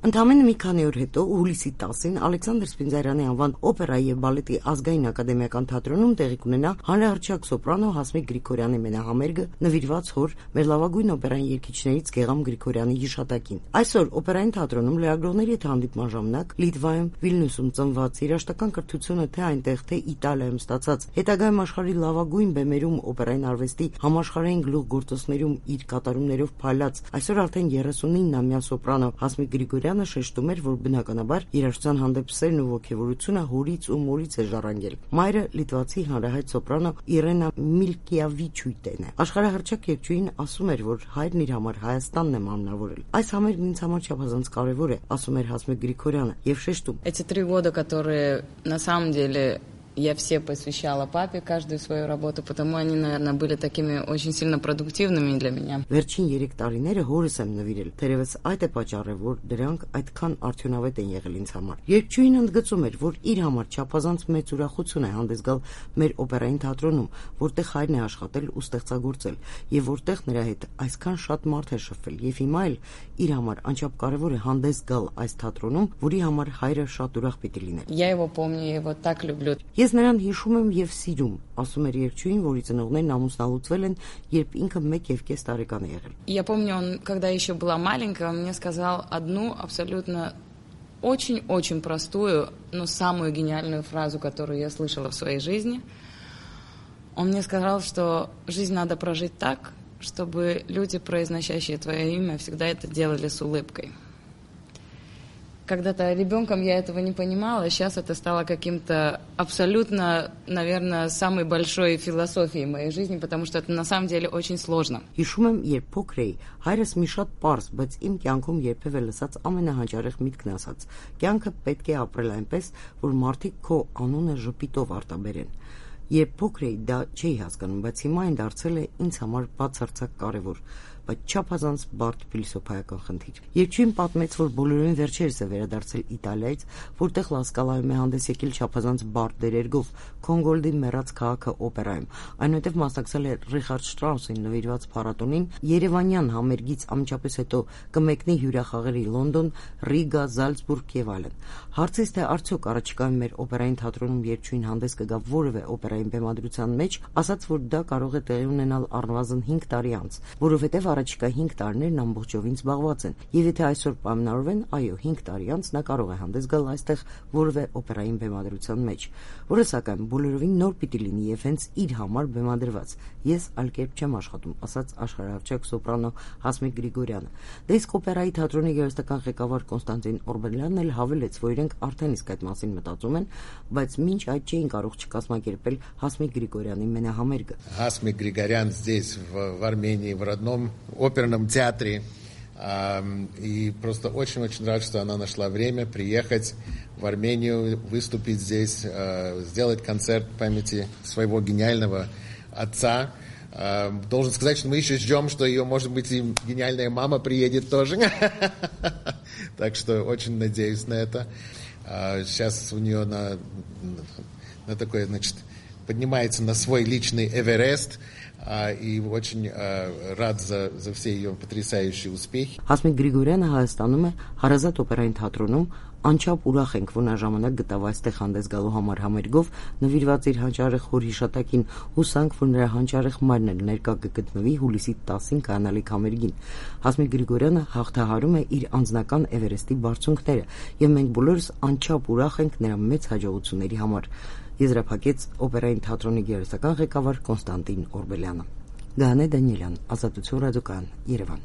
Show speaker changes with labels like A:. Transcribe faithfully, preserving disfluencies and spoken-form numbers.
A: Ընդամենը մի քանի օր հետո, հուլիսի տասին, Ալեքսանդր Սպինդիարյանի անվան օպերայի և բալետի ազգային ակադեմիական թատրոնում տեղի կունենա հանրահռչակ սոպրանո Հասմիկ Գրիգորյանի մենահամերգը, նվիրված հոր մեր լավագույն օպերային երգիչներից Գեգամ Գրիգորյանի հիշատակին։ Այսօր օպերային թատրոնում լրագրողների հետ հանդիպման ժամանակ Լիտվայում, Վիլնյուսում ծնված երաժշտական կրթությունը թե այնտեղ, թե Իտալիայում ստացած, հետագայում աշխարհի լավագույն բեմերում օպերային արվեստի համաշխարհային գլուխգործոցներում իր կատարումներով փայլած, այսօր արդեն երեսունինամյա սոպրանո Հասմիկ Գրիգորյանը շեշտում էր, որ բնականաբար երաժշտության հանդեպ սերն ու ոգևորությունը հորից ու մորից է ժառանգել։ Մայրը լիտվացի հանրահայտ սոպրանո Իրենա Միլկիավիչուիտեն է։ Աշխարհահռչակ երգչուհին ասում էր, որ հայրն իր համար Հայաստանն է մարմնավորել։ Այս համերգն ինձ համար չափազանց կարևոր է, ասում էր Հասմիկ Գրիգորյանը, եւ շեշտում.
B: Эти три года, которые на самом деле я все посвящала папе, каждую свою работу, потому они, наверное, были такими очень сильно продуктивными для меня.
A: Վերջին երեք տարիները հորս եմ նվիրել, թերևս այդ է պատճառը, որ դրանք այդքան արդյունավետ են եղել ինձ համար։ Երգչուհին ընդգծում էր, որ իր համար չափազանց մեծ ուրախություն է հանդես գալ մեր օպերային թատրոնում, որտեղ հայրն է աշխատել ու ստեղծագործել, եւ որտեղ нրա հետ այսքան շատ մարդ է շփվել, եւ հիմա էլ իր համար անչափ կարևոր է հանդես գալ այս թատրոնում, որի համար հայրը շատ ուրախ պիտի լիներ։
B: Я его помню, я его так люблю.
A: Ես նրան հիշում եմ եւ սիրում, ասում էր երգչուհին, որի ծնողներն ամուսնալուծվել են, երբ ինքը մեկ եւ կես տարեկան է եղել։
B: Я помню, он, когда еще была маленькая, он мне сказал одну абсолютно очень-очень простую, но самую гениальную фразу, которую я слышала в своей жизни. Он мне сказал, что жизнь надо прожить так, чтобы люди, произносящие твое имя, всегда это делали с улыбкой. Когда-то ребенком я этого не понимала, сейчас это стало каким-то абсолютно, наверное, самой большой философией моей жизни, потому что это на самом деле очень сложно.
A: Հիշում եմ, երբ փոքր էի, հայրս մի շատ պարզ, բայց իմ կյանքում երբևէ լսած ամենահանջարեղ միտքն ասաց. կյանքը պետք է ապրել այնպես, որ մարդիկ քո անունը ժպիտով արտաբերեն։ Երբ փոքր էի, դա չէի հասկանում, բայց հիմա այն դարձել է ինձ համար բացարձակ կարևոր, բայց չափազանց բարդ փիլիսոփայական խնդիր։ Երգչուհին պատմեց, որ բոլորին վերջերս է վերադարձել Իտալիայից, որտեղ Լասկալայում է հանդես եկել չափազանց բարդ դերերգով Քոնգոլդի մեռած քաղաքը օպերայում։ Այնուհետև մասնակցել է Ռիխարդ Շտրաուսին նվիրված փառատոնին, Երևանյան համերգից անմիջապես հետո կմեկնի հյուրախաղերի Լոնդոն, Ռիգա, Զալցբուրգ եւ այլն։ Հարցից թե արդյոք առաջիկայում մեր օպերային թատրոնում երգչուհին հանդես կգա որևէ օպերային բեմադրության մեջ, ասաց, որ դա կարող է տեղի ունենալ առնվազն հինգ տարի անց, որովհետև առաջիկա հինգ տարիներն ամբողջովին զբաղված են, եւ եթե այսօր պայմանավորվեն, այո, հինգ տարի անց նա կարող է հանդես գալ այստեղ որևէ օպերային բեմադրության մեջ, որը սակայն բոլորովին նոր պիտի լինի եւ հենց իր համար բեմադրված։ Ես այլ կերպ չեմ աշխատում, ասաց աշխարհահռչակ սոպրանո Հասմիկ Գրիգորյանը։ Դե իսկ օպերայի թատրոնի գեղեցկական ղեկավար Կոնստանտին Օրբելյանն էլ հավելեց, որ իրենք արդեն իսկ այդ մասին մտածում են, բայց մինչ այդ չէին կարող չկազմակերպել Հասմիկ Գրիգորյանի մենահամերգը։
C: Հասմիկ Գրիգорян здесь в, в Армении в родном оперном театре. И просто очень-очень рад, что она нашла время приехать в Армению, выступить здесь, сделать концерт в памяти своего гениального отца. Должен сказать, что мы еще ждем, что ее, может быть, и гениальная мама приедет тоже. Так что очень надеюсь на это. Сейчас у нее на, на такой, значит, поднимается на свой личный Эверест. И очень рад за, за все ее потрясающие успехи.
A: Հասմիկ Գրիգորյանը Հայաստանում է Հարազատ օպերային թատրոնում, անչափ ուրախ ենք, որ նա ժամանակ գտավ այստեղ հանդես գալու համար համերգով, նվիրված իր հանճարեղ հոր հիշատակին, հուսանք, որ նրա հանճարեղ մայրն էլ ներկա կգտնվի հուլիսի տասին կայանալիք համերգին։ Հասմիկ Գրիգորյանը հաղթահարում է իր անձնական Էվերեստի բարձունքները, եւ մենք բոլորս անչափ ուրախ ենք նրա մեծ հաջողությունների համար։ Եզրափակեց օպերային թատրոնի գեղեցկական ղեկավար Կոնստանտին Օրբելյանը։ Գաներ Դանիելյան, Ազատություն ռադիոկայան, Երևան։